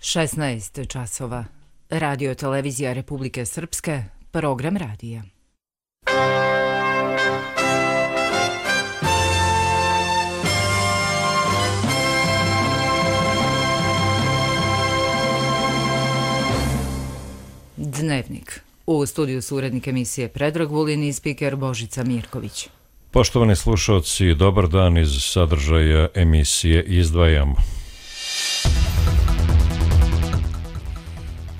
16 časova. Radio televizija Republike Srpske, program radija. Dnevnik. U studiju su urednik emisije Predrag Vulin i spiker Božica Mirković. Poštovani slušalci, dobar dan. Iz sadržaja emisije izdvajamo.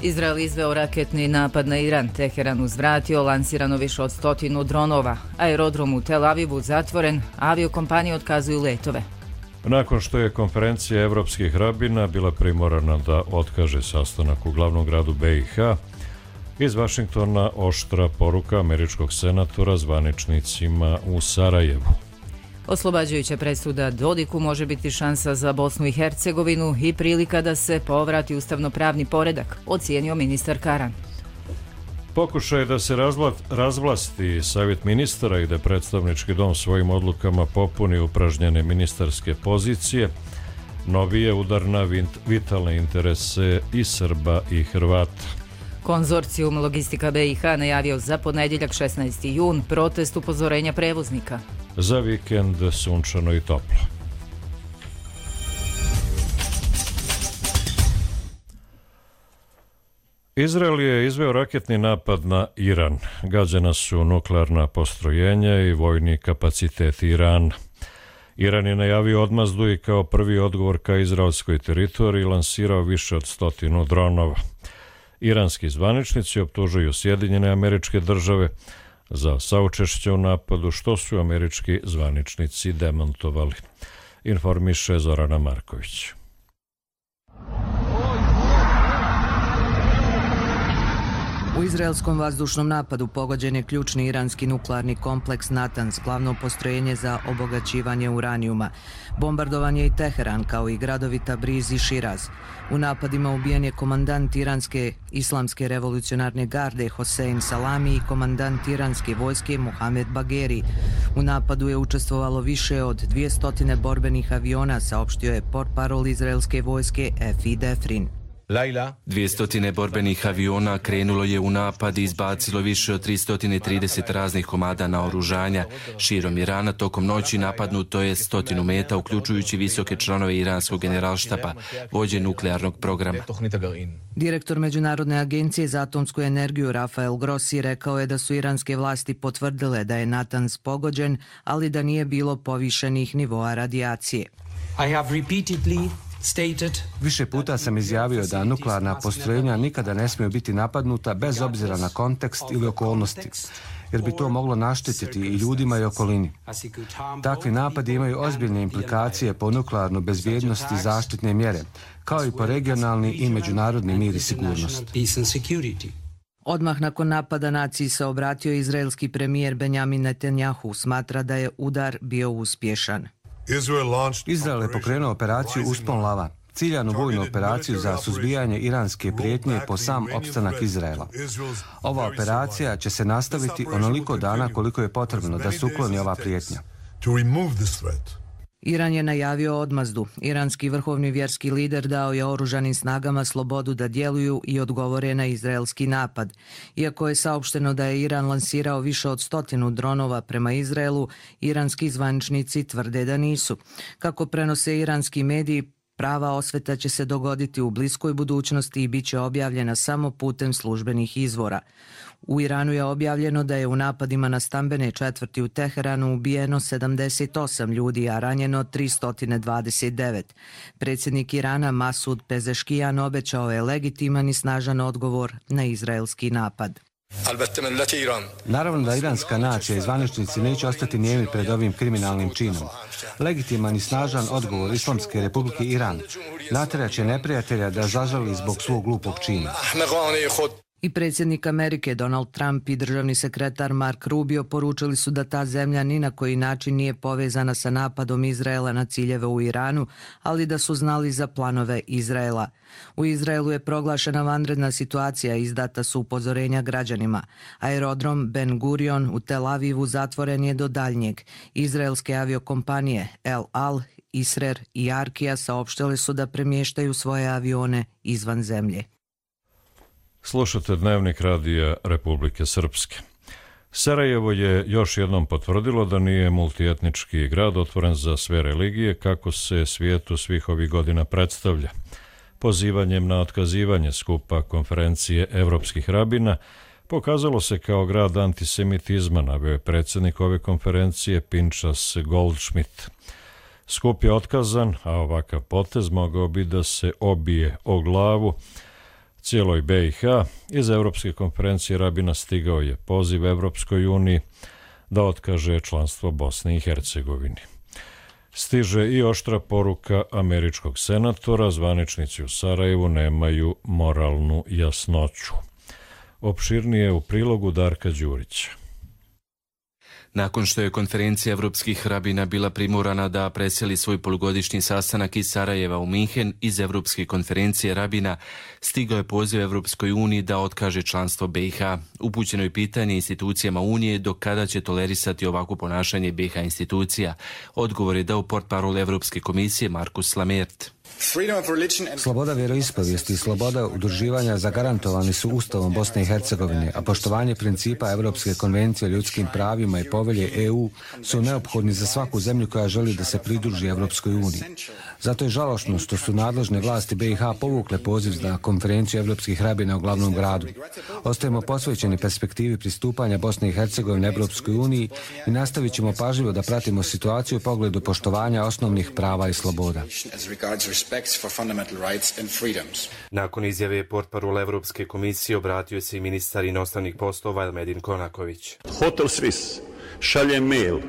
Izrael izveo raketni napad na Iran, Teheran uzvratio, lansirano više od 100 dronova, aerodrom u Tel Avivu zatvoren, aviokompanije otkazuju letove. Nakon što je konferencija evropskih rabina bila primorana da otkaže sastanak u glavnom gradu BiH, iz Vašingtona oštra poruka američkog senatora zvaničnicima u Sarajevu. Oslobađajuća presuda Dodiku može biti šansa za Bosnu i Hercegovinu i prilika da se povrati ustavno-pravni poredak, ocijenio ministar Karan. Pokušaj da se razvlasti savjet ministara i da predstavnički dom svojim odlukama popuni upražnjene ministarske pozicije, novi je udar na vitalne interese i Srba i Hrvata. Konzorcijum Logistika BiH najavio za ponedjeljak 16. jun protest upozorenja prevoznika. Za vikend sunčano i toplo. Izrael je izveo raketni napad na Iran. Gađena su nuklearna postrojenja i vojni kapaciteti Irana. Iran je najavio odmazdu i kao prvi odgovor ka izraelskoj teritoriji lansirao više od 100 dronova. Iranski zvaničnici optužuju Sjedinjene Američke Države za saučešće u napadu, što su američki zvaničnici demantovali. Informiše Zorana Marković. U izraelskom vazdušnom napadu pogođen je ključni iranski nuklearni kompleks Natans, glavno postrojenje za obogaćivanje uranijuma. Bombardovan je i Teheran, kao i gradovi Tabriz i Širaz. U napadima ubijen je komandant iranske islamske revolucionarne garde Hosein Salami i komandant iranske vojske Mohamed Bagheri. U napadu je učestvovalo više od 200 borbenih aviona, saopštio je portparol izraelske vojske Efi Defrin. 200 borbenih aviona krenulo je u napad i izbacilo više od 330 raznih komada naoružanja. Širom Irana tokom noći napadnuto je 100 meta, uključujući visoke članove iranskog generalštaba, vođe nuklearnog programa. Direktor Međunarodne agencije za atomsku energiju Rafael Grossi rekao je da su iranske vlasti potvrdile da je Natans pogođen, ali da nije bilo povišenih nivoa radijacije. Više puta sam izjavio da nuklearna postrojenja nikada ne smiju biti napadnuta bez obzira na kontekst ili okolnosti, jer bi to moglo naštetiti i ljudima i okolini. Takvi napadi imaju ozbiljne implikacije po nuklearnu bezbjednost i zaštitne mjere, kao i po regionalni i međunarodni mir i sigurnost. Odmah nakon napada naciji se obratio izraelski premijer Benjamin Netanjahu, smatra da je udar bio uspješan. Izrael je pokrenuo operaciju Uspon lava, ciljanu vojnu operaciju za suzbijanje iranske prijetnje po sam opstanak Izraela. Ova operacija će se nastaviti onoliko dana koliko je potrebno da se ukloni ova prijetnja. Iran je najavio odmazdu. Iranski vrhovni vjerski lider dao je oružanim snagama slobodu da djeluju i odgovore na izraelski napad. Iako je saopšteno da je Iran lansirao više od 100 dronova prema Izraelu, iranski zvaničnici tvrde da nisu. Kako prenose iranski mediji, prava osveta će se dogoditi u bliskoj budućnosti i bit će objavljena samo putem službenih izvora. U Iranu je objavljeno da je u napadima na stambene četvrti u Teheranu ubijeno 78 ljudi, a ranjeno 329. Predsjednik Irana Masud Pezeškijan obećao je legitiman i snažan odgovor na izraelski napad. Naravno da iranska nacija i zvaničnici neće ostati nijemi pred ovim kriminalnim činom. Legitiman i snažan odgovor Islamske republike Iran natjerat će neprijatelja da zažali zbog svog glupog čina. I predsjednik Amerike Donald Trump i državni sekretar Mark Rubio poručili su da ta zemlja ni na koji način nije povezana sa napadom Izraela na ciljeve u Iranu, ali da su znali za planove Izraela. U Izraelu je proglašena vanredna situacija i izdata su upozorenja građanima. Aerodrom Ben Gurion u Tel Avivu zatvoren je do daljnjeg. Izraelske aviokompanije El Al Isrer i Arkija saopštile su da premještaju svoje avione izvan zemlje. Slušate Dnevnik radija Republike Srpske. Sarajevo je još jednom potvrdilo da nije multietnički grad otvoren za sve religije kako se svijetu svih ovih godina predstavlja. Pozivanjem na otkazivanje skupa konferencije evropskih rabina pokazalo se kao grad antisemitizma, naveo je predsjednik ove konferencije Pinchas Goldschmidt. Skup je otkazan, a ovakav potez mogao bi da se obije o glavu cijeloj BiH. Iz Evropske konferencije rabina stigao je poziv Evropskoj uniji da otkaže članstvo Bosni i Hercegovini. Stiže i oštra poruka američkog senatora, zvaničnici u Sarajevu nemaju moralnu jasnoću. Opširnije u prilogu Darka Đurića. Nakon što je konferencija evropskih rabina bila primorana da preseli svoj polugodišnji sastanak iz Sarajeva u Minhen, iz Evropske konferencije rabina stigao je poziv Evropskoj uniji da otkaže članstvo BiH. Upućeno je pitanje institucijama Unije do kada će tolerisati ovako ponašanje BiH institucija. Odgovor je dao portparol Evropske komisije Markus Lamert. Sloboda vjeroispovijesti i sloboda udruživanja zagarantovani su Ustavom Bosne i Hercegovine, a poštovanje principa Evropske konvencije o ljudskim pravima i povelje EU su neophodni za svaku zemlju koja želi da se pridruži Evropskoj uniji. Zato je žalosno što su nadležne vlasti BiH povukle poziv za konferenciju evropskih rabina u glavnom gradu. Ostajemo posvećeni perspektivi pristupanja Bosne i Hercegovine Evropskoj uniji i nastavit ćemo pažljivo da pratimo situaciju u pogledu poštovanja osnovnih prava i sloboda. Nakon izjave portparola Evropske komisije obratio se i ministar inostranih poslova Elmedin Konaković. Hotel Swiss šalje mail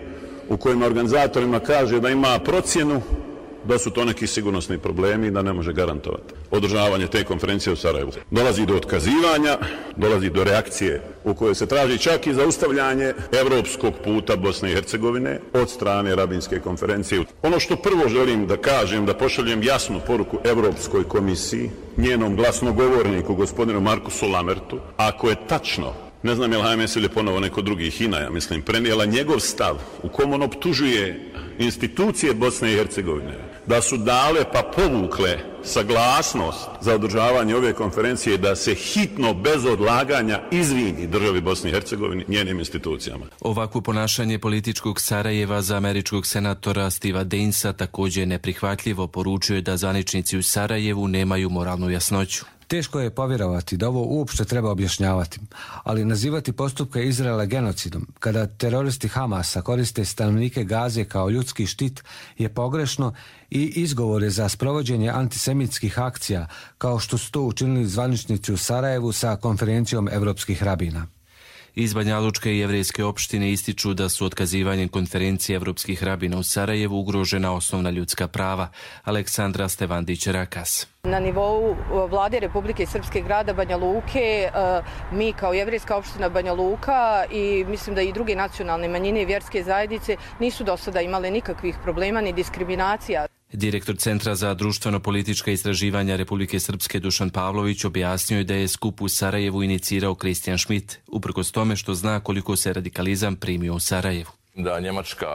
u kojem organizatorima kaže da ima procjenu da su to neki sigurnosni problemi i da ne može garantovati održavanje te konferencije u Sarajevu. Dolazi do otkazivanja, dolazi do reakcije u kojoj se traži čak i zaustavljanje evropskog puta Bosne i Hercegovine od strane rabinske konferencije. Ono što prvo želim da kažem, da pošaljem jasnu poruku Evropskoj komisiji, njenom glasnogovorniku, gospodinu Markusu Lamertu, ako je tačno, ne znam je li HMS ili ponovo neko drugi, HINA, ja mislim, prenijela njegov stav u kom on optužuje institucije Bosne i Hercegovine da su dale pa povukle saglasnost za održavanje ove konferencije da se hitno, bez odlaganja, izvini državi Bosni i Hercegovini, njenim institucijama. Ovakvo ponašanje političkog Sarajeva za američkog senatora Steva Dainsa također je neprihvatljivo, poručuje da zvaničnici u Sarajevu nemaju moralnu jasnoću. Teško je povjerovati da ovo uopšte treba objašnjavati, ali nazivati postupke Izraela genocidom, kada teroristi Hamasa koriste stanovnike Gaze kao ljudski štit, je pogrešno i izgovor je za sprovođenje antisemitskih akcija, kao što su to učinili zvaničnici u Sarajevu sa konferencijom evropskih rabina. Iz Banjalučke i jevrejske opštine ističu da su otkazivanjem konferencije evropskih rabina u Sarajevu ugrožena osnovna ljudska prava. Aleksandra Stevandić-Rakas. Na nivou vlade Republike Srpske grada Banja Luke, mi kao jevrejska opština Banja Luka i mislim da i druge nacionalne manjine i vjerske zajednice nisu do sada imale nikakvih problema ni diskriminacija. Direktor Centra za društveno-politička istraživanja Republike Srpske Dušan Pavlović objasnio je da je skup u Sarajevu inicirao Kristijan Schmidt, uprkos tome što zna koliko se radikalizam primio u Sarajevu. Da Njemačka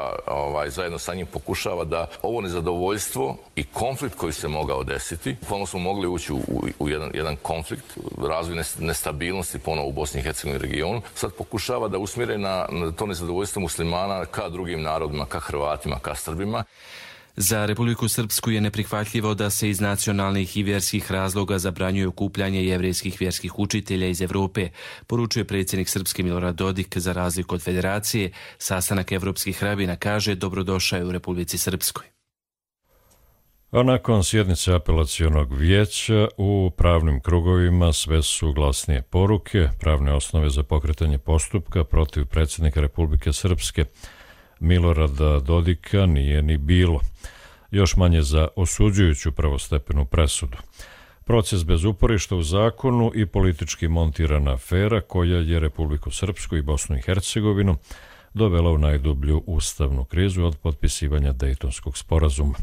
zajedno sa njim pokušava da ovo nezadovoljstvo i konflikt koji se mogao desiti, ponovno smo mogli ući u jedan konflikt, razvoj nestabilnosti ponovo u Bosni i Hercegovini regionu, sad pokušava da usmjere na to nezadovoljstvo muslimana ka drugim narodima, ka Hrvatima, ka Srbima. Za Republiku Srpsku je neprihvatljivo da se iz nacionalnih i vjerskih razloga zabranjuje okupljanje jevrejskih vjerskih učitelja iz Evrope, poručuje predsjednik Srpske Milorad Dodik. Za razliku od federacije, sastanak evropskih rabina, kaže, dobrodošao je u Republici Srpskoj. A nakon sjednice apelacionog vijeća u pravnim krugovima sve su glasnije poruke. Pravne osnove za pokretanje postupka protiv predsjednika Republike Srpske Milorada Dodika nije ni bilo. Još manje za osuđujuću prvostepenu presudu. Proces bez uporišta u zakonu i politički montirana afera koja je Republiku Srpsku i Bosnu i Hercegovinu dovela u najdublju ustavnu krizu od potpisivanja Dejtonskog sporazuma.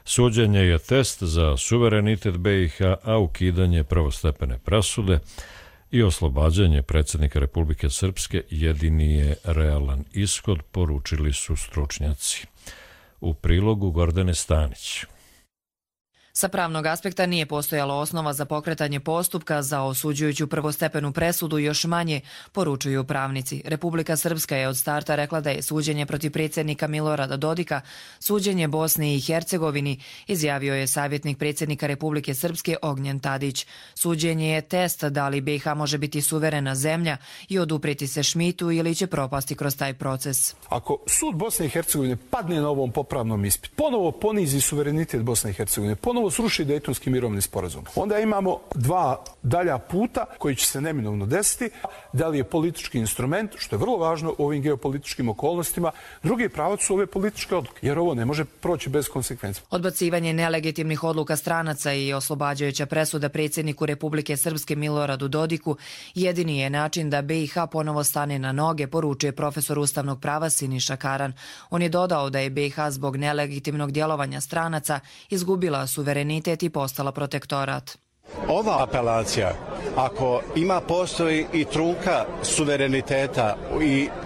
Suđenje je test za suverenitet BiH, a ukidanje prvostepene presude i oslobađanje predsjednika Republike Srpske jedini je realan ishod, poručili su stručnjaci. u prilogu Gordane Stanić. Sa pravnog aspekta nije postojala osnova za pokretanje postupka za osuđujuću prvostepenu presudu, još manje, poručuju pravnici. Republika Srpska je od starta rekla da je suđenje protiv predsjednika Milorada Dodika suđenje Bosni i Hercegovini, izjavio je savjetnik predsjednika Republike Srpske Ognjen Tadić. Suđenje je test da li BiH može biti suverena zemlja i oduprijeti se Šmitu ili će propasti kroz taj proces. Ako sud Bosne i Hercegovine padne na ovom popravnom ispitu, ponovo ponizi suverenitet Bosne i Hercegovine, ponovo sruši Dejtonski mirovni sporazum, onda imamo dva dalja puta koji će se neminovno desiti. Da li je politički instrument, što je vrlo važno u ovim geopolitičkim okolnostima, drugi pravac su ove političke odluke, jer ovo ne može proći bez konsekvenca. Odbacivanje nelegitimnih odluka stranaca i oslobađajuća presuda predsjedniku Republike Srpske Miloradu Dodiku jedini je način da BiH ponovo stane na noge, poručuje profesor ustavnog prava Siniša Karan. On je dodao da je BiH zbog nelegitimnog djelovanja stranaca izgubila suverenitet i postala protektorat. Ova apelacija, ako postoji i trunka suvereniteta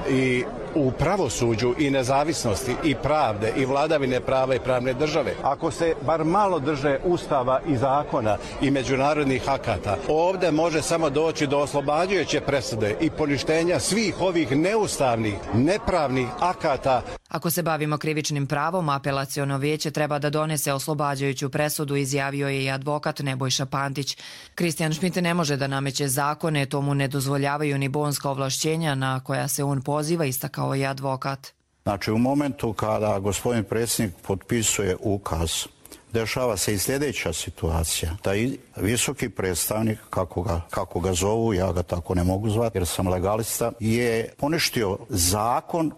i u pravosuđu i nezavisnosti i pravde i vladavine prava i pravne države, ako se bar malo drže ustava i zakona i međunarodnih akata, ovdje može samo doći do oslobađajuće presude i poništenja svih ovih neustavnih, nepravnih akata. Ako se bavimo krivičnim pravom, apelaciono vijeće treba da donese oslobađajuću presudu, izjavio je i advokat Nebojša Pantić. Kristijan Šmit ne može da nameće zakone, to mu ne dozvoljavaju ni bonska ovlašćenja na koja se on poziva, istakao je advokat. Znači, u momentu kada gospodin predsjednik potpisuje ukaz, dešava se i sljedeća situacija. Taj visoki predstavnik, kako ga zovu, ja ga tako ne mogu zvati jer sam legalista, je poništio zakon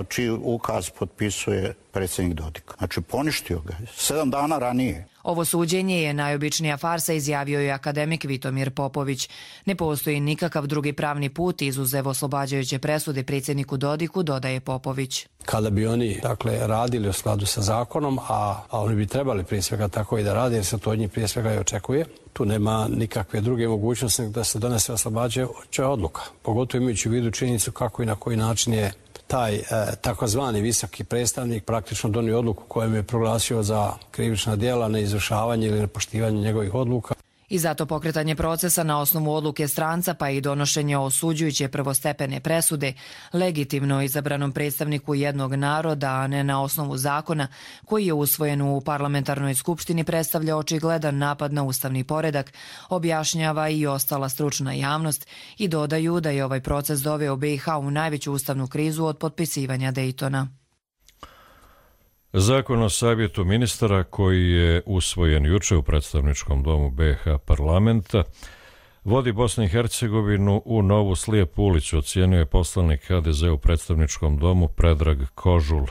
čiji ukaz potpisuje predsjednik Dodik. Znači, poništio ga 7 dana ranije. Ovo suđenje je najobičnija farsa, izjavio je akademik Vitomir Popović. Ne postoji nikakav drugi pravni put izuzev oslobađajuće presude predsjedniku Dodiku, dodaje Popović. Kada bi oni radili u skladu sa zakonom, a oni bi trebali prije svega tako i da rade, jer se to od njih prije svega i očekuje, tu nema nikakve druge mogućnosti da se donese oslobađajuća odluka. Pogotovo imajući u vidu činjenicu kako i na koji način je taj takozvani visoki predstavnik praktično donio odluku kojom je proglasio za krivična djela, neizvršavanje ili nepoštivanje njegovih odluka. I zato pokretanje procesa na osnovu odluke stranca pa i donošenje osuđujuće prvostepene presude legitimno izabranom predstavniku jednog naroda, a ne na osnovu zakona koji je usvojen u parlamentarnoj skupštini, predstavlja očigledan napad na ustavni poredak, objašnjava i ostala stručna javnost i dodaju da je ovaj proces doveo BiH u najveću ustavnu krizu od potpisivanja Dejtona. Zakon o savjetu ministara koji je usvojen juče u predstavničkom domu BiH parlamenta vodi Bosnu i Hercegovinu u novu slijepu ulicu, ocjenjuje poslanik HDZ u predstavničkom domu Predrag Kožul.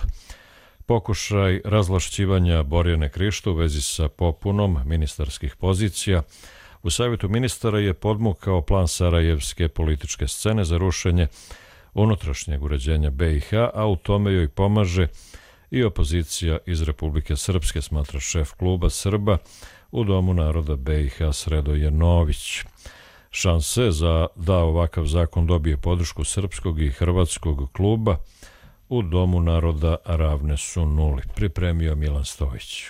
Pokušaj razvlašćivanja Borjane Krišto u vezi sa popunom ministarskih pozicija u savjetu ministara je podmukao plan sarajevske političke scene za rušenje unutrašnjeg uređenja BiH, a u tome joj pomaže i opozicija iz Republike Srpske, smatra šef kluba Srba u Domu naroda BiH Sredoje Nović. Šanse da ovakav zakon dobije podršku srpskog i hrvatskog kluba u Domu naroda ravne su nuli, pripremio Milan Stojić.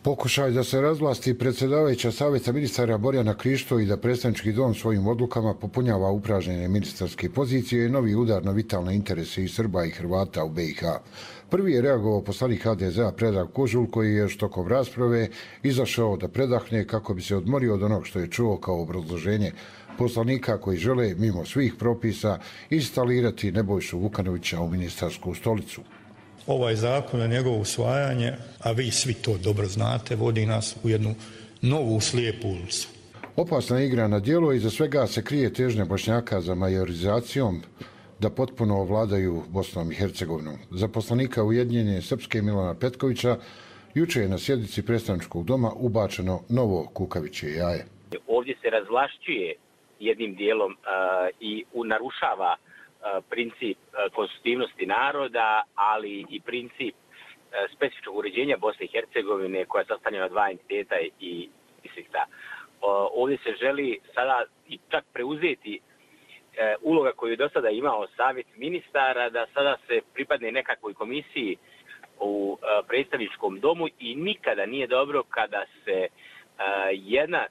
Pokušaj da se razvlasti predsjedavajuća savjeta ministara Borjana Krišto i da predstavnički dom svojim odlukama popunjava upražnjene ministarske pozicije je novi udar na vitalne interese i Srba i Hrvata u BiH. Prvi je reagovao poslanik HDZ-a Predrag Kožul, koji je tokom rasprave izašao da predahne kako bi se odmorio od onog što je čuo kao obrazloženje poslanika koji žele, mimo svih propisa, instalirati Nebojšu Vukanovića u ministarsku stolicu. Ovaj zakon na njegovo usvajanje, a vi svi to dobro znate, vodi nas u jednu novu slijepu ulicu. Opasna igra na djelo i za svega se krije težnja Bošnjaka za majorizacijom da potpuno ovladaju Bosnom i Hercegovinom. Za poslanika Ujedinjene Srpske Milana Petkovića juče je na sjednici predstavničkog doma ubačeno novo kukavičje jaje. Ovdje se razvlašćuje jednim dijelom i narušava princip konstitutivnosti naroda, ali i princip specifičnog uređenja Bosne i Hercegovine koja je sastavljena na dva entiteta i distrikta. Ovdje se želi sada i čak preuzeti uloga koju je do sada imao savjet ministara, da sada se pripadne nekakvoj komisiji u predstavničkom domu i nikada nije dobro kada se jedna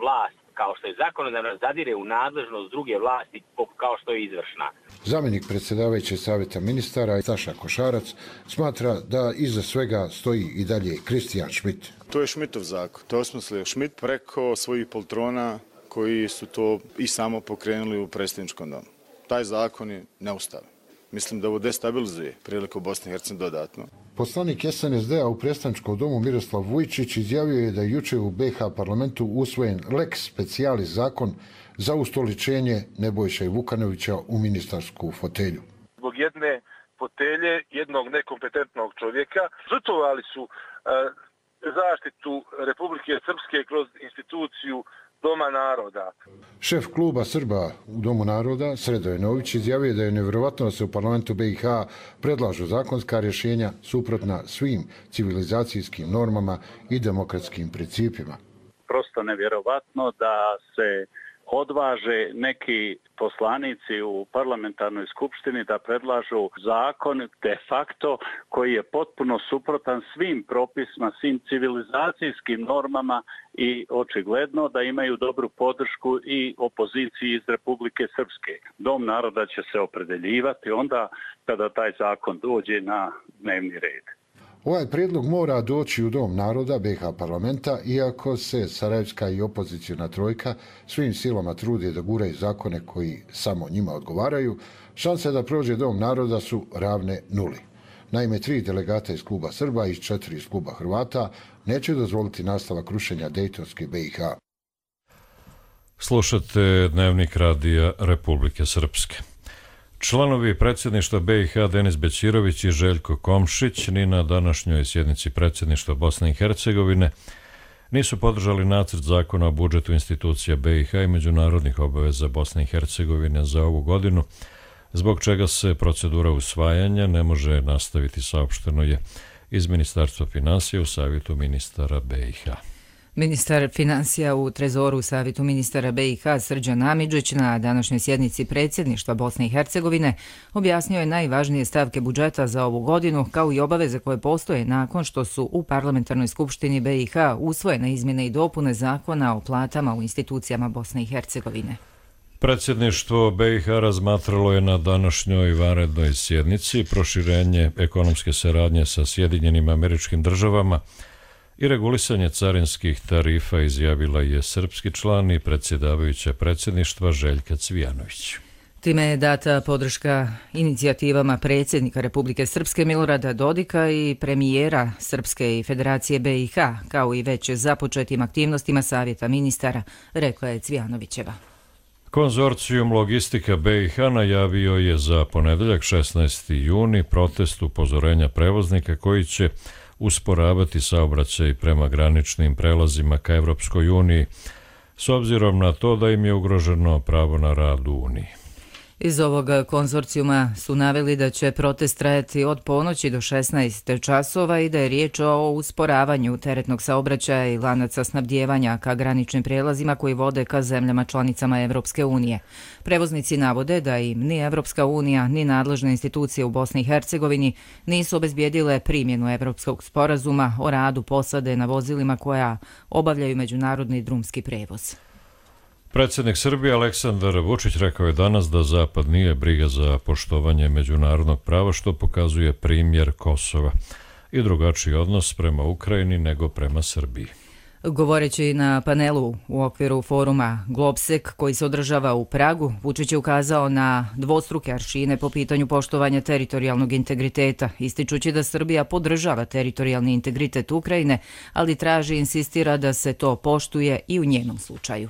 vlast, kao što je zakonodavna, zadire u nadležnost druge vlasti kao što je izvršna. Zamjenik predsjedavajućeg savjeta ministara Saša Košarac smatra da iza svega stoji i dalje Kristijan Schmidt. To je Schmidtov zakon. To je osmislio Schmidt preko svojih poltrona koji su to i samo pokrenuli u predsjedničkom domu. Taj zakon je neustavan. Mislim da ovo destabilizuje priliku Bosne i Hercegovine dodatno. Poslanik SNSD-a u predstavničkom domu Miroslav Vujčić izjavio je da je jučer u BiH parlamentu usvojen lex specialis zakon za ustoličenje Nebojše Vukanovića u ministarsku fotelju. Zbog jedne fotelje, jednog nekompetentnog čovjeka, žrtvovali su zaštitu Republike Srpske kroz instituciju Doma naroda. Šef kluba Srba u Domu naroda, Sredoje Nović, izjavio da je nevjerovatno da se u parlamentu BiH predlažu zakonska rješenja suprotna svim civilizacijskim normama i demokratskim principima. Prosto nevjerovatno da se odvaže neki poslanici u parlamentarnoj skupštini da predlažu zakon de facto koji je potpuno suprotan svim propisima, svim civilizacijskim normama i očigledno da imaju dobru podršku i opoziciji iz Republike Srpske. Dom naroda će se opredeljivati onda kada taj zakon dođe na dnevni red. Ovaj prijedlog mora doći u Dom naroda BiH parlamenta, iako se sarajevska i opozicijona trojka svim silama trude da guraju zakone koji samo njima odgovaraju, šanse da prođe Dom naroda su ravne nuli. Naime, 3 delegata iz kluba Srba i 4 iz kluba Hrvata neće dozvoliti nastavak rušenja Dejtonske BiH. Slušate Dnevnik radija Republike Srpske. Članovi predsjedništva BiH Denis Bećirović i Željko Komšić ni na današnjoj sjednici predsjedništva Bosne i Hercegovine nisu podržali nacrt zakona o budžetu institucija BiH i međunarodnih obaveza Bosne i Hercegovine za ovu godinu, zbog čega se procedura usvajanja ne može nastaviti, saopšteno je iz Ministarstva finansija u Savjetu ministara BiH. Ministar financija u Trezoru u Savjetu ministara BiH Srđan Amidžić na današnjoj sjednici predsjedništva Bosne i Hercegovine objasnio je najvažnije stavke budžeta za ovu godinu, kao i obaveze koje postoje nakon što su u Parlamentarnoj skupštini BiH usvojene izmjene i dopune zakona o platama u institucijama Bosne i Hercegovine. Predsjedništvo BiH razmatralo je na današnjoj vanrednoj sjednici proširenje ekonomske saradnje sa Sjedinjenim Američkim Državama i regulisanje carinskih tarifa, izjavila je srpski član i predsjedavajuća predsjedništva Željka Cvijanović. Time je data podrška inicijativama predsjednika Republike Srpske Milorada Dodika i premijera Srpske i Federacije BiH, kao i već započetim aktivnostima Savjeta ministara, rekla je Cvijanovićeva. Konzorcijum Logistika BiH najavio je za ponedeljak 16. juni protest upozorenja prevoznika koji će usporavati saobraćaj prema graničnim prelazima ka Evropskoj uniji, s obzirom na to da im je ugroženo pravo na rad u Uniji. Iz ovog konzorcijuma su naveli da će protest trajati od ponoći do 16 časova i da je riječ o usporavanju teretnog saobraćaja i lanaca snabdijevanja ka graničnim prijelazima koji vode ka zemljama članicama Evropske unije. Prevoznici navode da im ni Evropska unija ni nadležne institucije u Bosni i Hercegovini nisu obezbijedile primjenu Evropskog sporazuma o radu posade na vozilima koja obavljaju međunarodni drumski prevoz. Predsjednik Srbije Aleksandar Vučić rekao je danas da Zapad nije briga za poštovanje međunarodnog prava, što pokazuje primjer Kosova i drugačiji odnos prema Ukrajini nego prema Srbiji. Govoreći na panelu u okviru foruma Globsek koji se održava u Pragu, Vučić je ukazao na dvostruke aršine po pitanju poštovanja teritorijalnog integriteta, ističući da Srbija podržava teritorijalni integritet Ukrajine, ali traži i insistira da se to poštuje i u njenom slučaju.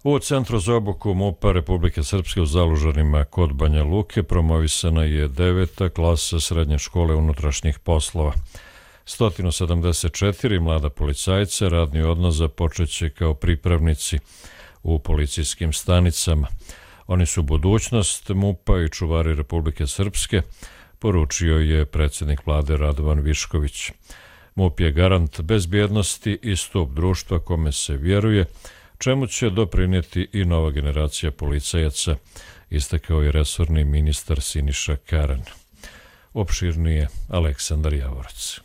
U Centru za obuku MUP-a Republike Srpske u Zalužanima kod Banja Luke promovisana je 9. klasa Srednje škole unutrašnjih poslova. 174 mlada policajca radni odnos započeće kao pripravnici u policijskim stanicama. Oni su budućnost MUP-a i čuvari Republike Srpske, poručio je predsjednik vlade Radovan Višković. MUP je garant bezbjednosti i stup društva kome se vjeruje, čemu će doprinijeti i nova generacija policajaca, istakao je resorni ministar Siniša Karan. Opširnije Aleksandar Javorac.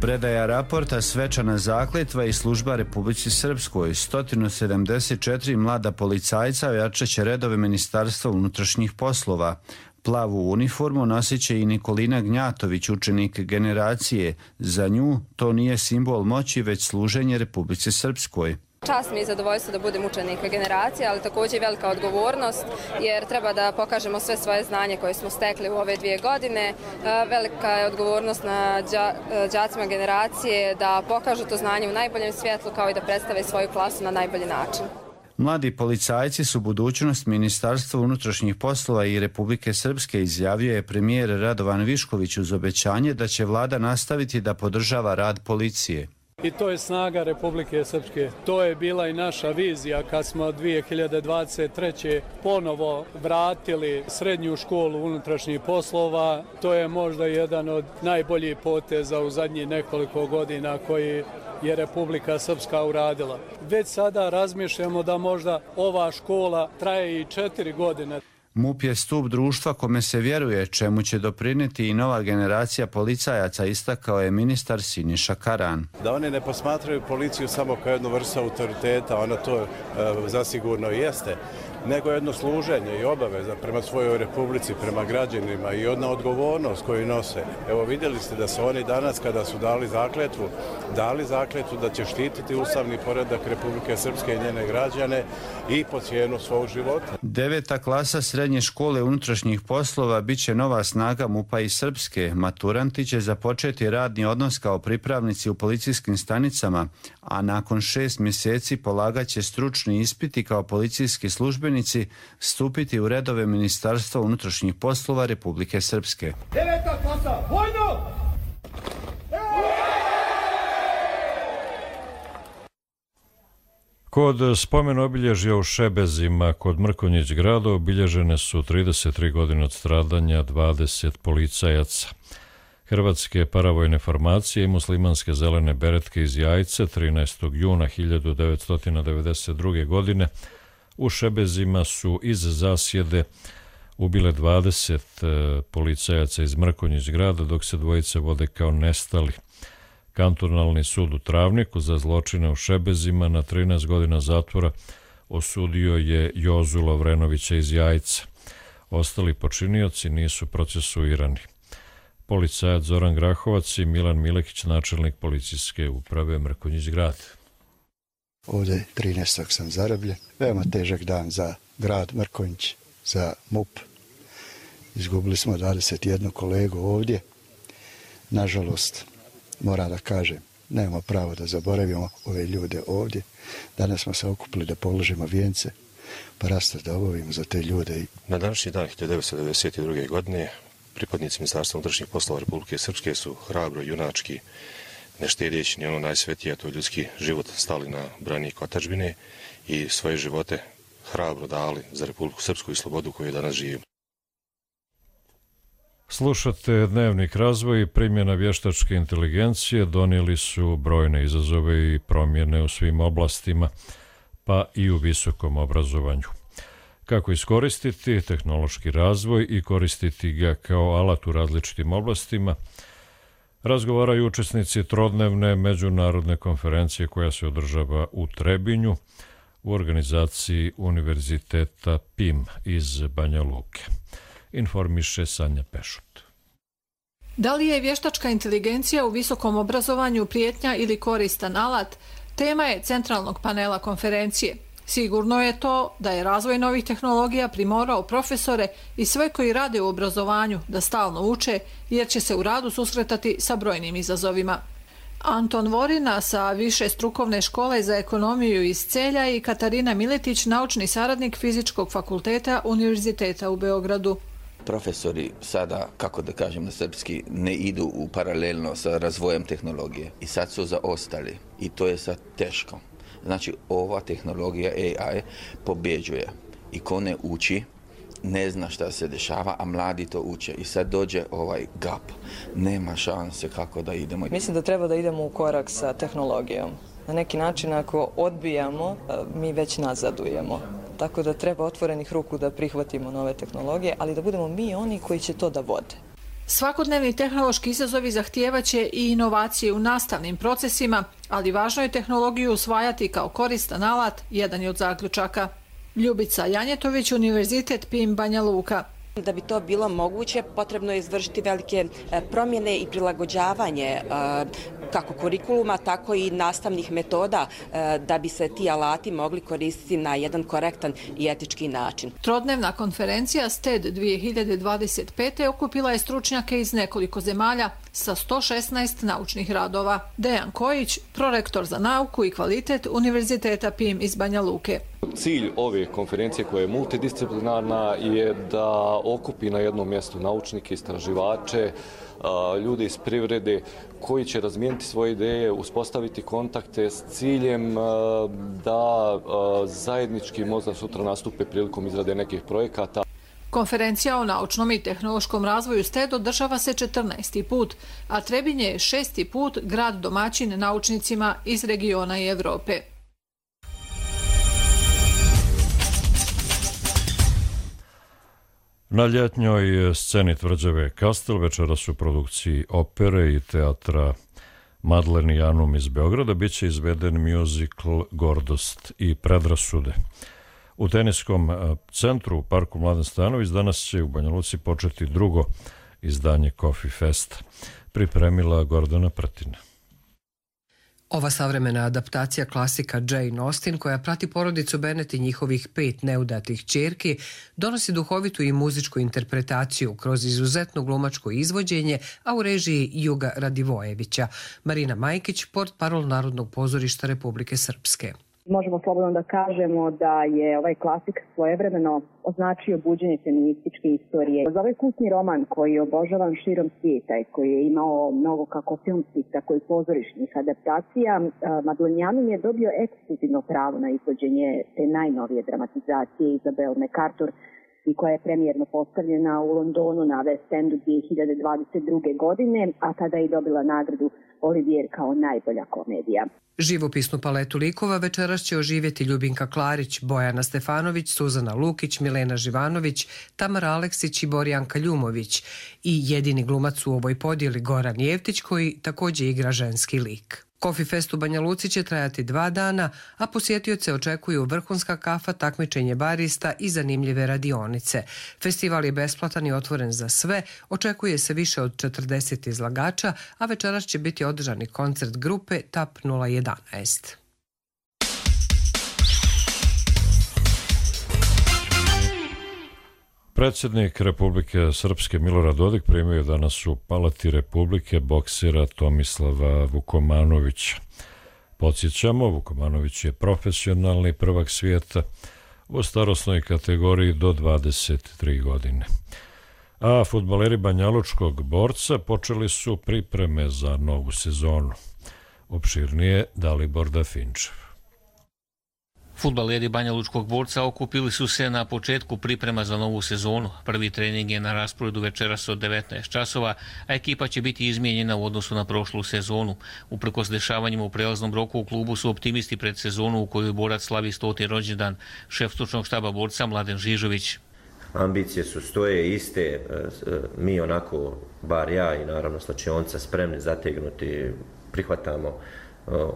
Predaja raporta, svečana zakletva i služba Republici Srpskoj. 174 mlada policajca ojačat će redove Ministarstva unutrašnjih poslova. Plavu uniformu nosit će i Nikolina Gnjatović, učenik generacije. Za nju to nije simbol moći, već služenje Republici Srpskoj. Čast mi je zadovoljstvo da budem učenik generacije, ali također i velika odgovornost, jer treba da pokažemo sve svoje znanje koje smo stekli u ove 2 godine. Velika je odgovornost na đacima generacije da pokažu to znanje u najboljem svjetlu, kao i da predstave svoju klasu na najbolji način. Mladi policajci su budućnost Ministarstva unutrašnjih poslova i Republike Srpske, izjavio je premijer Radovan Višković uz obećanje da će vlada nastaviti da podržava rad policije. I to je snaga Republike Srpske. To je bila i naša vizija kad smo 2023. ponovo vratili srednju školu unutrašnjih poslova. To je možda jedan od najboljih poteza u zadnjih nekoliko godina koji je Republika Srpska uradila. Već sada razmišljamo da možda ova škola traje i 4 godine. MUP je stup društva kome se vjeruje, čemu će doprinijeti i nova generacija policajaca, istakao je ministar Siniša Karan. Da oni ne posmatraju policiju samo kao jednu vrstu autoriteta, ona to zasigurno jeste, nego jedno služenje i obaveza prema svojoj republici, prema građanima i jedna odgovornost koju nose. Evo vidjeli ste da su oni danas kada su dali zakletvu da će štititi ustavni poredak Republike Srpske i njene građane i po cijenu svog života. 9. klasa srednje škole unutrašnjih poslova bit će nova snaga MUP-a i Srpske. Maturanti će započeti radni odnos kao pripravnici u policijskim stanicama, a nakon 6 mjeseci polagat će stručni ispiti kao policijski službenici, stupiti u redove Ministarstva unutrašnjih poslova Republike Srpske. 9. klasa, vojno! Kod spomen obilježja u Šebezima kod Mrkonjić grada obilježene su 33 godine od stradanja 20 policajaca. Hrvatske paravojne formacije i muslimanske zelene beretke iz Jajce 13. juna 1992. godine u Šebezima su iz zasjede ubile 20 policajaca iz Mrkonjić grada, dok se dvojice vode kao nestali. Kantonalni sud u Travniku za zločine u Šebezima na 13 godina zatvora osudio je Jozu Lovrenovića iz Jajca. Ostali počinioci nisu procesuirani. Policajac Zoran Grahovac i Milan Milekić, načelnik policijske uprave Mrkonjić grad. Ovdje 13. sam zarobljen. Veoma težak dan za grad Mrkonjić, za MUP. Izgubili smo 21 kolegu ovdje. Nažalost, moram da kažem, nemamo pravo da zaboravimo ove ljude ovdje. Danas smo se okupili da položimo vijence, pa rastas da obavimo za te ljude. Na današnji dan 1992. godine pripadnici Ministarstva unutrašnjih poslova Republike Srpske su hrabro, junački, ne štedeći ni ono najsvetije, to je ljudski život, stali na branik otadžbine i svoje živote hrabro dali za Republiku Srpsku i slobodu koju danas živimo. Slušate Dnevnik razvoj i primjena vještačke inteligencije donijeli su brojne izazove i promjene u svim oblastima, pa i u visokom obrazovanju. Kako iskoristiti tehnološki razvoj i koristiti ga kao alat u različitim oblastima, razgovaraju učesnici trodnevne međunarodne konferencije koja se održava u Trebinju u organizaciji Univerziteta PIM iz Banja Luke. Informiše Sanja Pešut. Da li je vještačka inteligencija u visokom obrazovanju prijetnja ili koristan alat, tema je centralnog panela konferencije. Sigurno je to da je razvoj novih tehnologija primorao profesore i sve koji rade u obrazovanju da stalno uče, jer će se u radu susretati sa brojnim izazovima. Anton Vorina sa Više strukovne škole za ekonomiju iz Celja i Katarina Miletić, naučni saradnik Fizičkog fakulteta Univerziteta u Beogradu. Profesori sada, kako da kažem na srpski, ne idu u paralelno sa razvojem tehnologije i sad su zaostali i to je sad teško. Znači, ova tehnologija AI pobjeđuje i ko ne uči, ne zna šta se dešava, a mladi to uče. I sad dođe ovaj gap. Nema šanse kako da idemo. Mislim da treba da idemo u korak sa tehnologijom. Na neki način ako odbijamo, mi već nazadujemo. Tako da treba otvorenih ruku da prihvatimo nove tehnologije, ali da budemo mi oni koji će to da vode. Svakodnevni tehnološki izazovi zahtijevaće i inovacije u nastavnim procesima, ali važno je tehnologiju usvajati kao koristan alat, jedan je od zaključaka. Ljubica Janjetović, Univerzitet PIM Banja Luka. Da bi to bilo moguće, potrebno je izvršiti velike promjene i prilagođavanje kako kurikuluma, tako i nastavnih metoda da bi se ti alati mogli koristiti na jedan korektan i etički način. Trodnevna konferencija STED 2025. okupila je stručnjake iz nekoliko zemalja sa 116 naučnih radova. Dejan Kojić, prorektor za nauku i kvalitet Univerziteta PIM iz Banja Luke. Cilj ove konferencije koja je multidisciplinarna je da okupi na jednom mjestu naučnike, istraživače, ljude iz privrede koji će razmijeniti svoje ideje, uspostaviti kontakte s ciljem da zajednički možda sutra nastupe prilikom izrade nekih projekata. Konferencija o naučnom i tehnološkom razvoju STED održava se 14. put, a Trebinje je 6. put grad domaćin naučnicima iz regiona i Evrope. Na ljetnjoj sceni tvrđave Kastel večeras u produkciji opere i teatra Madlen i Janum iz Beograda biće izveden muzikl Gordost i predrasude. U teniskom centru u parku Mladen Stanović danas će u Banja Luci početi drugo izdanje Coffee Festa. Pripremila Gordana Prtina. Ova savremena adaptacija klasika Jane Austen, koja prati porodicu Bennet i njihovih 5 neudatih ćerki, donosi duhovitu i muzičku interpretaciju kroz izuzetno glumačko izvođenje, a u režiji Juga Radivojevića. Marina Majkić, portparol Narodnog pozorišta Republike Srpske. Možemo slobodno da kažemo da je ovaj klasik svojevremeno označio buđenje feminističke istorije. Za ovaj kultni roman koji je obožavan širom svijeta i koji je imao mnogo kako filmskih, tako i pozorišnih adaptacija, Madlen Janum je dobio ekskluzivno pravo na izvođenje te najnovije dramatizacije Isabel MacArthur i koja je premijerno postavljena u Londonu na West Endu 2022. godine, a tada je dobila nagradu Olivier kao najbolja komedija. Živopisnu paletu likova večeras će oživjeti Ljubinka Klarić, Bojana Stefanović, Suzana Lukić, Milena Živanović, Tamara Aleksić i Borjanka Ljumović i jedini glumac u ovoj podjeli Goran Jevtić koji također igra ženski lik. Coffee Fest u Banja Luci će trajati 2 dana, a posjetioce očekuju vrhunska kafa, takmičenje barista i zanimljive radionice. Festival je besplatan i otvoren za sve, očekuje se više od 40 izlagača, a večeras će biti održani koncert grupe TAP 011. Predsjednik Republike Srpske Milorad Dodik primio je danas u Palati Republike boksera Tomislava Vukomanovića. Podsjećamo, Vukomanović je profesionalni prvak svijeta u starosnoj kategoriji do 23 godine. A fudbaleri banjalučkog borca počeli su pripreme za novu sezonu. Opširnije Dalibor Dafinčev. Fudbaleri banjalučkog borca okupili su se na početku priprema za novu sezonu. Prvi trening je na rasporedu večeras od 19 časova, a ekipa će biti izmijenjena u odnosu na prošlu sezonu. Uprkos dešavanjima u prelaznom roku u klubu su optimisti pred sezonu u kojoj borac slavi 100. rođendan. Šef stručnog štaba borca Mladen Žižović. Ambicije su stoje iste, mi onako, bar ja i naravno slačionca, spremni zategnuti, prihvatamo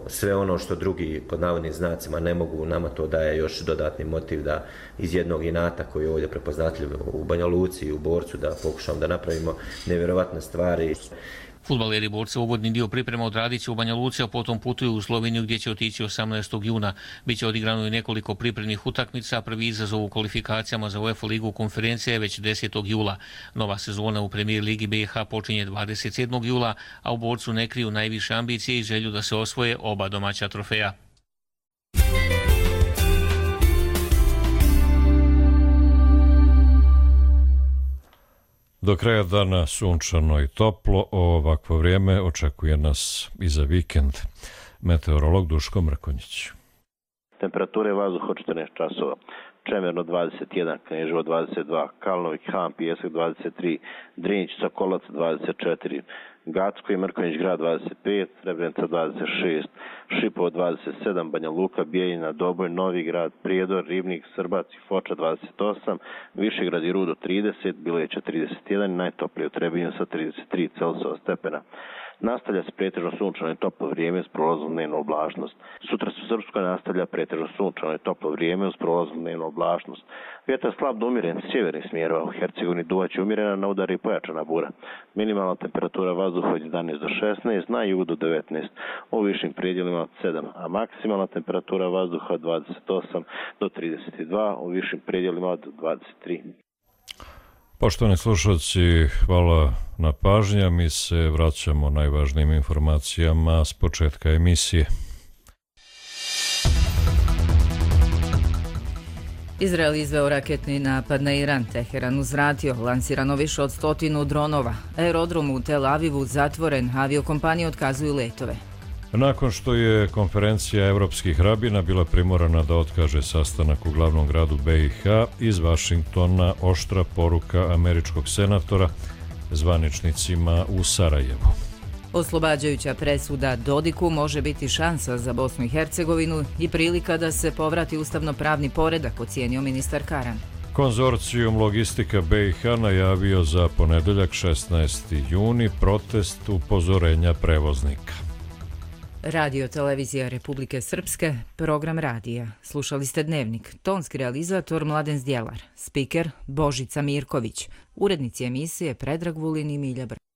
sve ono što drugi pod navodnim znacima ne mogu, nama to daje još dodatni motiv da iz jednog inata koji je ovdje prepoznatljiv u Banja Luci i u borcu da pokušamo da napravimo nevjerovatne stvari. Fudbaleri borca uvodni dio priprema odradit će u Banja Luci, a potom putuju u Sloveniju gdje će otići 18. juna. Biće odigrano i nekoliko pripremnih utakmica, prvi izazov u kvalifikacijama za UEFA ligu konferencije je već 10. jula. Nova sezona u Premier ligi BiH počinje 27. jula, a u borcu ne kriju najviše ambicije i želju da se osvoje oba domaća trofeja. Do kraja dana sunčano i toplo, ovakvo vrijeme očekuje nas i za vikend. Meteorolog Duško Mrkonjić. Temperature vazduha od 14 časova. Čemerno 21, Kneževo 22, Kalnovik, Han, Pijesak 23, Drinjić, Sokolac 24, Gacko i Mrkonjić grad 25, Srebrenica 26, Šipovo 27, Banja Luka, Bijeljina, Doboj, Novi grad, Prijedor, Ribnik, Srbac i Foča 28, Višegrad i Rudo 30, Bileća 31, najtoplije u Trebinju sa 33 Celsiusova stepena. Nastavlja se pretežno sunčano i toplo vrijeme s prolazom dnevnu oblačnost. Sutra se u Srpskoj nastavlja pretežno sunčano i toplo vrijeme uz prolazom dnevnu oblačnost. Vjetar slab do umjeren sjevernih smjerova, u Hercegovini duvaće umjerena, na udari i pojačana bura. Minimalna temperatura vazduha od 11 do 16, na jugu do 19, u višim predjelima od 7, a maksimalna temperatura vazduha od 28 do 32, u višim predjelima od 23. Poštovani slušalci, hvala na pažnji. Mi se vraćamo najvažnijim informacijama s početka emisije. Izrael izveo raketni napad na Iran, Teheran uzvratio, lansirano više od 100 dronova. Aerodrom u Tel Avivu zatvoren, aviokompanije otkazuju letove. Nakon što je konferencija evropskih rabina bila primorana da otkaže sastanak u glavnom gradu BiH, iz Vašingtona oštra poruka američkog senatora zvaničnicima u Sarajevu. Oslobađajuća presuda Dodiku može biti šansa za Bosnu i Hercegovinu i prilika da se povrati ustavno-pravni poredak, ocijenio ministar Karan. Konzorcijum Logistika BiH najavio za ponedeljak 16. juni protest upozorenja prevoznika. Radio Televizija Republike Srpske, program radija. Slušali ste Dnevnik, tonski realizator Mladen Zdjelar, spiker Božica Mirković, urednici emisije Predrag Vulin i Milja Brk.